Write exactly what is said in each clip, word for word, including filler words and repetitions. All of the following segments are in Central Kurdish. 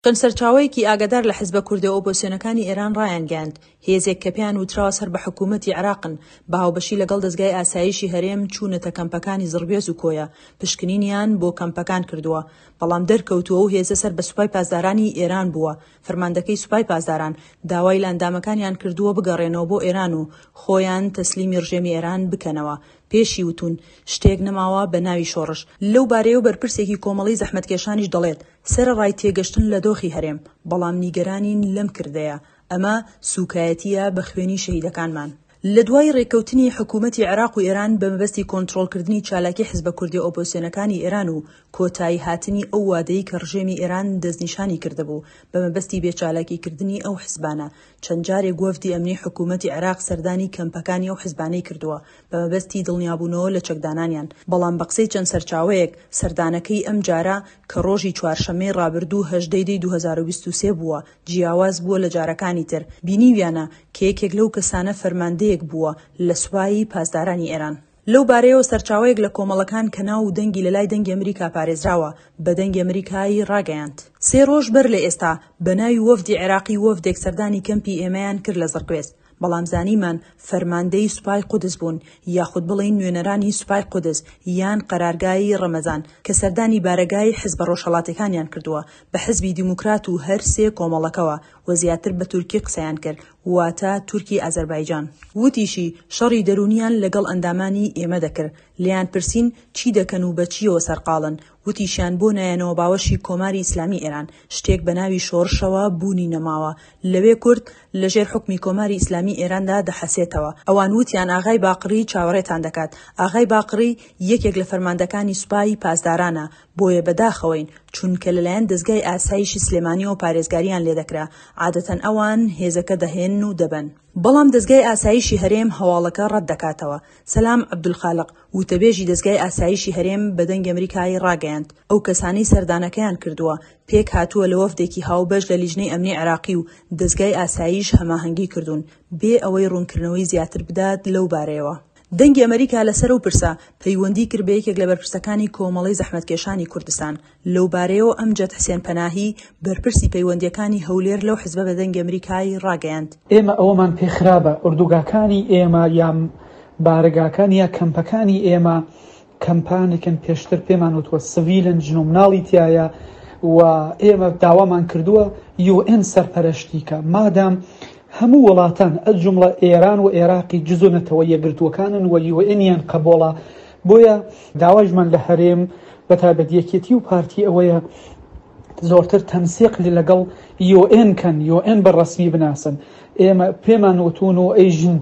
چەند سەرچاوەیەکی ئاگادار لە حزبە کوردە ئۆپۆزسیۆنەکانی ئێران ڕایانگەیاند، هێزێک کە پێیان وتراوە سەر بە حکوومەتی عێراقن بە هاوبەشی لەگەڵ دەزگای ئاسایشی هەرێم چوونەتە کەمپەکانی زڕگوێز و کۆیە پشکنینیان بۆ کەمپەکان کردووە، بەڵام دەرکەوتووە ئەو هێزە سەر بە سوپای پاسدارانی ئێران بووە. فەرماندەکەی سوپای پاسداران داوای لە ئەندامەکانیان کردووە بگەڕێنەوە بۆ ئێران و خۆیان تەسلیمی ڕژێمی ئێران بکەنەوە. پێشی وتوون شتێک نەماوە بە ناوی شۆڕش. لەو بارەیەوە بەرپرسێکی کۆمەڵەی زەحمەتکێشانیش دەڵێت، سەرەڕای تێگەشتن لە دۆخی هەرێم، بەڵام نیگەرانین لەم کردەیە، ئەمە سوکایەتییە بە خوێنی شەهیدەکانمان. لە دوای رێککەوتنی حکوومەتی عێراق و ئێران بە مەبەستی کۆنترۆڵکردنی چالاکی حزبە کوردیە ئۆپۆزسیۆنەکانی ئێران و کۆتایی هاتنی ئەو وادەی کە ڕژێمی ئێران دەستنیشانی کردبوو بە مەبەستی بێچالاکیکردنی ئەو حزبانە، چەند جارێک وەفدی ئەمنی حکوومەتی عێراق سەردانی کەمپەکانی ئەو حزبانەی کردووە بە مەبەستی دڵنیابوونەوە لە چەکدانانیان، بەڵام بە قسەی چەند سەرچاوەیەک سەردانەکەی ئەمجارە کە ڕۆژی چوارشەممەی ڕابردوو هەژدە ی دەی دوو هەزار و بیست و سێ بووە جیاواز بووە لە جارەکانی تر، بینیویانە کە یەکێک لەو کەسانە فەرماندەیەک بووە لە سوپای پاسدارانی ئێران. لەو بارەیەوە سەرچاوەیەک لە کۆمەڵەکان کە ناو و دەنگی لە لای دەنگی ئەمریکا پارێزراوە بە دەنگی ئەمریکای ڕاگەیاند، سێ ڕۆژ بەر لە ئێستا بە ناوی وەفدی عێراقی وەفدێک سەردانی کەمپی ئێمەیان کرد لە زڕگوێز، بەڵام زانیمان فەرماندەی سوپای قودس بوون یاخود بڵێین نوێنەرانی سوپای قودس یان قەرارگای ڕەمەزان کە سەردانی بارەگای حزبە ڕۆژهەڵاتیەکانیان کردووە بە حزبی دیموکرات و هەر سێ کۆمەڵەکەوە و زیاتر بە تورکی قسەیان کرد واتە تورکی ئازەربایجان. وتیشی، شەڕی دەروونیان لەگەڵ ئەندامانی ئێمە دەکرد، لێیان پرسین چی دەکەن و بە چییەوە سەرقاڵن، وتیشیان بۆ نایەنەوە باوەشی کۆماری ئیسلامی ئێران، شتێک بە ناوی شۆڕشەوە بوونی نەماوە، لەوێ کورد لە ژێر حوکمی کۆماری ئیسلامی ئێراندا دەحەسێتەوە. ئەوان وتیان ئاغای باقڕی چاوەڕێتان دەکات. ئاغای باقڕی یەکێک لە فەرماندەکانی سوپای پاسدارانە، بۆیە بەداخەوەین، چونکە لەلایەن دەزگای ئاسایشی سلێمانیەوە پارێزگاریان لێدەکرا، عادەتەن ئەوان هێزەکە دەهێنن و دەبەن. بەڵام دەزگای ئاسایشی هەرێم هەواڵەکە ڕەتدەکاتەوە. سەلام عەبدولخالق، وتەبێژی دەزگای ئاسایشی هەرێم بە دەنگی ئەمریکای ڕاگەیاند، ئەو کەسانەی سەردانەکەیان کردووە پێکهاتووە لە وەفدێکی هاوبەش لە لیژنەی ئەمنی عێراقی و دەزگای ئاسایش هەماهەنگی کردوون، بێ ئەوەی ڕوونکردنەوەی زیاتر بدات لەو بارەیەوە. دەنگی ئەمریکا لەسەر ئەو پرسە پەیوەندی کرد بە یەکێک لە بەرپرسەکانی کۆمەڵەی زەحمەتکێشانی کوردستان، لەو بارەیەوە ئەمجەد حسێن پەناهی بەرپرسی پەیوەندییەکانی هەولێر لەو حزبە بە دەنگی ئەمریکای ڕاگەیاند. ئێمە ئەوەمان پێ خرابە ئۆردوگاکانی ئێمە یا بارەگاکان یا کەمپەکانی ئێمە کەمپانێکن پێشتر پێمان وتووە سڤیلن ژن و مناڵی تایە و ئێمە داوامان کردووە یو ئێن سەرپەرشتی کە مادام هەموو وڵاتان ئەجومڵە ئێران و عێراقی جزو نەتەوە یەکگرتووەکانن و یو ئێنیان قبوڵە، بۆیە داوایشمان لە هەرێم بە تایبەت یەکێتی و پارتی ئەوەیە زۆرتر تەنسیق لەگەڵ یو ئێن کەن، یو ئێن بە ڕەسمی بناسن. ئێمە پێمان وتون و ئەیژن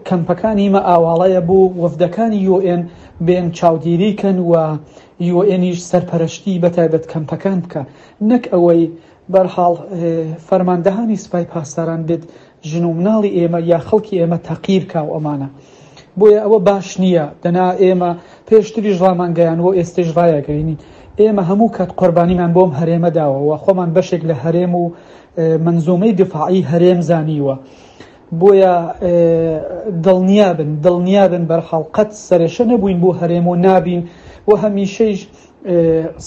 کەمپەکانی مە ئاواڵەیە بۆ وەفدەکانی یو ئێن بێن چاودێری کەن و یو ئێنیش سەرپەرشتی بە تایبەت کەمپەکان بکە، نەک ئەوەی بەرحاڵ فەرماندەهانی سوپای پاسداران بێت ژن و مناڵی ئێمە یا خەڵکی ئێمە تەقیر کا و ئەمانە. بۆیە ئەوە باش نییە. دەنا ئێمە پێشتریش ڕامانگەیان و ئێستش ڕایەگەینین ئێمە هەموو کات قوربانیمان بۆم هەرێمە داوە و خۆمان بەشێک لە هەرێم و منزومەی دفاعی هەرێم زانیوە. بۆیە دڵنیابن دڵنیابن بەرحاڵ قەت سەرێشە نەبووین بۆ هەرێم و نابین و هەمیشەیش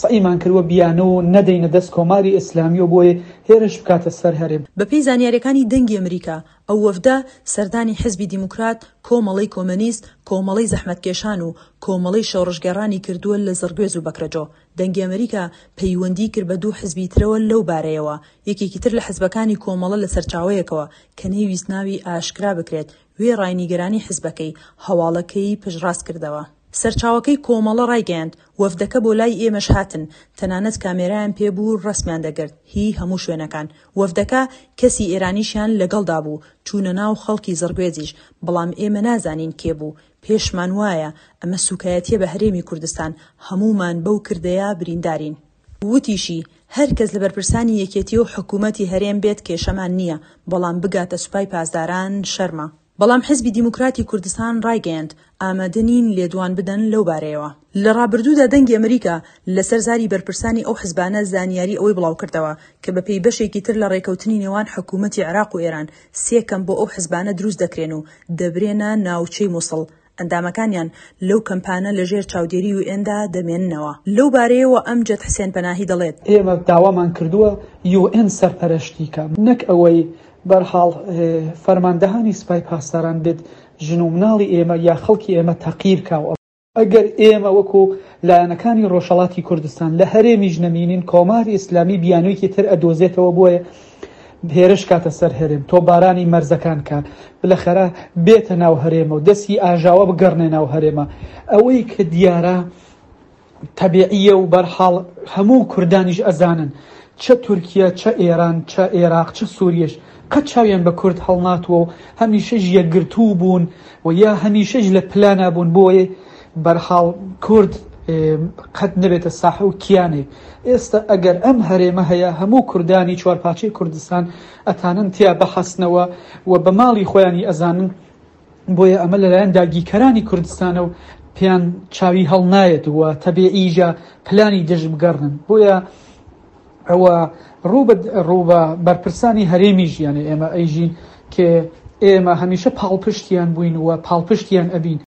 سەعیمان کردووە بیانە و نەدەینە دەست کۆماری ئیسلامی و بۆیە هێرش بکاتە سەر هەرێم. بەپێی زانیاریەکانی دەنگی ئەمریکا، ئەو وەفدە سەردانی حزبی دیموکرات، کۆمەڵەی کۆمەنیست، کۆمەڵەی زەحمەتکێشان و کۆمەڵەی شۆڕشگێڕانی کردووە لە زڕگوێز و بەکرەجۆ. دەنگی ئەمریکا پەیوەندی کرد بە دوو حزبی ترەوە لەو بارەیەوە، یەکێکی تر لە حزبەکانی کۆمەڵە لە سەرچاوەیەکەوە کە نەیویست ناوی ئاشکرا بکرێت، وێڕای نیگەرانی حزبەکەی، هەواڵەکەی پشتڕاست کردەوە. سەرچاوەکەی کۆمەڵە ڕایگەیاند، وەفدەکە بۆ لای ئێمەش هاتن، تەنانەت کامێرایان پێ بوو ڕەسمیان دەگرت هی هەموو شوێنەکان. وەفدەکە کەسی ئێرانیشیان لەگەڵدا بوو، چوونە ناو خەڵکی زڕگوێزیش، بەڵام ئێمە نازانین کێ بوو. پێشمان وایە ئەمە سوکایەتیە بە هەرێمی کوردستان، هەموومان بەو کردەیە بریندارین. وتیشی، هەر کەس لە بەرپرسانی یەکێتی و حکوومەتی هەرێم بێت کێشەمان نییە، بەڵام بگاتە سوپای پاسداران شەرمە. بەڵام حزبی دیموکراتی کوردستان ڕایگەیاند، ئامادە نین لێدوان بدەن لەو بارەیەوە. لە ڕابردوودا دەنگی ئەمریکا لەسەر زاری بەرپرسانی ئەو حزبانە زانیاری ئەوەی بڵاوکردەوە کە بەپێی بەشێکی تر لە ڕێکەوتنی نێوان حکوومەتی عێراق و ئێران سێ کەمپ بۆ ئەو حزبانە دروست دەکرێن و دەبرێنە ناوچەی موسڵ. ئەندامەکانیان لەو کەمپانە لەژێر چاودێری یوئێندا دەمێننەوە. لەو بارەیەوە ئەمجەد حسێن پەناهی دەڵێت، ئێمە داوامان کردووە یوئێن سەرپەرشتی کە، نەک ئەوەی بەرحاڵ فەرماندەهانی سوپای پاسداران بێت ژن و مناڵی ئێمە یا خەڵکی ئێمە تەقیر کا. ئەگەر ئێمە وەکو لایەنەکانی ڕۆژهەڵاتی کوردستان لە هەرێمیش نەمینین، کۆماری ئیسلامی بیانوویەکی تر ئەدۆزێتەوە بۆیە هێرش کاتە سەر هەرێم، تۆپبارانی مەرزەکان کە بلەخەرە بێتە ناو هەرێمە و دەستی ئاژاوە بگەڕنێ ناو هەرێمە. ئەوەی کە دیارە تەبیعیە و بەرحاڵ هەموو کوردانیش ئەزانن، چە تورکیا، چە ئێران، چە عێراق، چە سووریەش قەت چاویان بە کورد هەڵناتووە و هەمیشەش یەکگرتوو بوون و یا هەمیشەش لە پلانا بوون بۆیە بەرحاڵ کورد قەت نەبێتە ساحە و کیانێک. ئێستا ئەگەر ئەم هەرێمە هەیە، هەموو کوردانی چوارپارچەی کوردستان ئەتانن تیا بەحەسنەوە و بە ماڵی خۆیانی ئەزانن. بۆیە ئەمە لەلایەن داگیرکەرانی کوردستانە و پێیان چاوی هەڵنایەت و تەبیعیژە پلانی دژ بگەڕن. بۆیە ئەوە ڕوو بە بەرپرسانی هەرێمی ژیانە ئێمە ئەیژین کە ئێمە هەمیشە پاڵپشتیان بووین و پاڵپشتیان ئەبین.